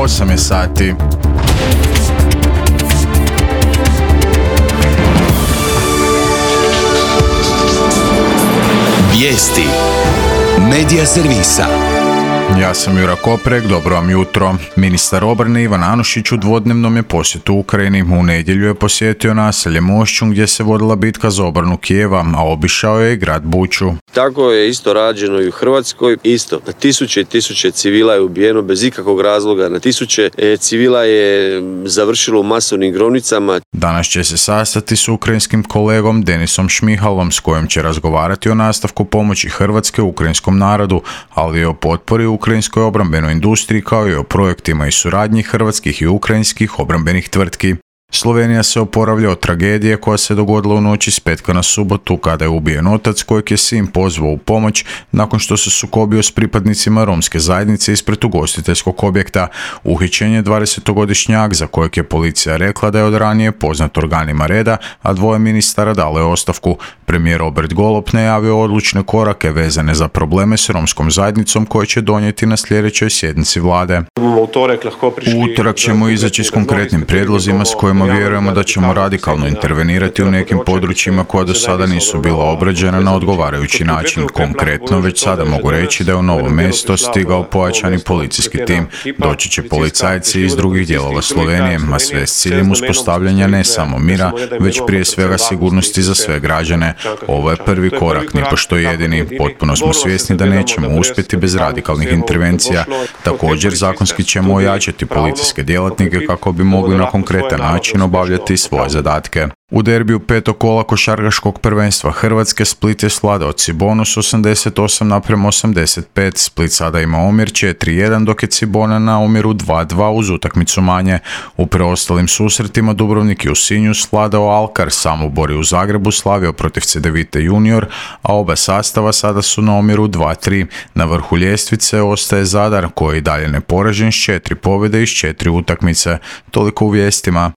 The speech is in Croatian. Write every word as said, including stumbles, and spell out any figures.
osam je sati. Vijesti Medija servisa. Ja sam Jura Koprek, dobro vam jutro. Ministar obrane Ivan Anušić u dvodnevnom je posjetu Ukrajini. U nedjelju je posjetio naselje Mošćun gdje se vodila bitka za obranu Kijeva, a obišao je i grad Buču. Tako je isto rađeno i u Hrvatskoj. Isto, na tisuće i tisuće civila je ubijeno bez ikakvog razloga. Na tisuće civila je završilo u masovnim grobnicama. Danas će se sastati s ukrajinskim kolegom Denisom Šmihalom, s kojim će razgovarati o nastavku pomoći Hrvatske ukrajinskom narodu, ali i o potpori ukrajinskoj obrambenoj industriji kao i o projektima i suradnji hrvatskih i ukrajinskih obrambenih tvrtki. Slovenija se oporavlja od tragedije koja se dogodila u noći s petka na subotu kada je ubijen otac kojeg je sin pozvao u pomoć nakon što se sukobio s pripadnicima romske zajednice ispred ugostiteljskog objekta. Uhićen je dvadesetogodišnjak za kojeg je policija rekla da je od ranije poznat organima reda, a dvoje ministara dalo je ostavku. Premijer Robert Golob najavio odlučne korake vezane za probleme s romskom zajednicom koje će donijeti na sljedećoj sjednici vlade. U utorak ćemo izaći s konkretnim prijedlozima s kojima vjerujemo da ćemo radikalno intervenirati u nekim područjima koja do sada nisu bila obrađena na odgovarajući način. Konkretno, već sada mogu reći da je u Novo Mesto stigao pojačani policijski tim. Doći će policajci iz drugih dijelova Slovenije, a sve s ciljem uspostavljanja ne samo mira, već prije svega sigurnosti za sve građane. Ovo je prvi korak, nipošto jedini. Potpuno smo svjesni da nećemo uspjeti bez radikalnih intervencija. Također, zakonski ćemo ojačati policijske djelatnike kako bi mogli na konkretan način obavljati svoje zadatke. U derbiju petog kola košarkaškog prvenstva Hrvatske Split je svladao Cibonu s osamdeset osam naprema osamdeset pet. Split sada ima omjer četiri jedan, dok je Cibona na omjeru dva dva uz utakmicu manje. U preostalim susretima Dubrovnik je u Sinju svladao Alkar, Samobor je u Zagrebu slavio protiv Cedevite Junior, a oba sastava sada su na omjeru dva tri. Na vrhu ljestvice ostaje Zadar, koji je i dalje neporažen s četiri pobjede iz četiri utakmice. Toliko u vijestima.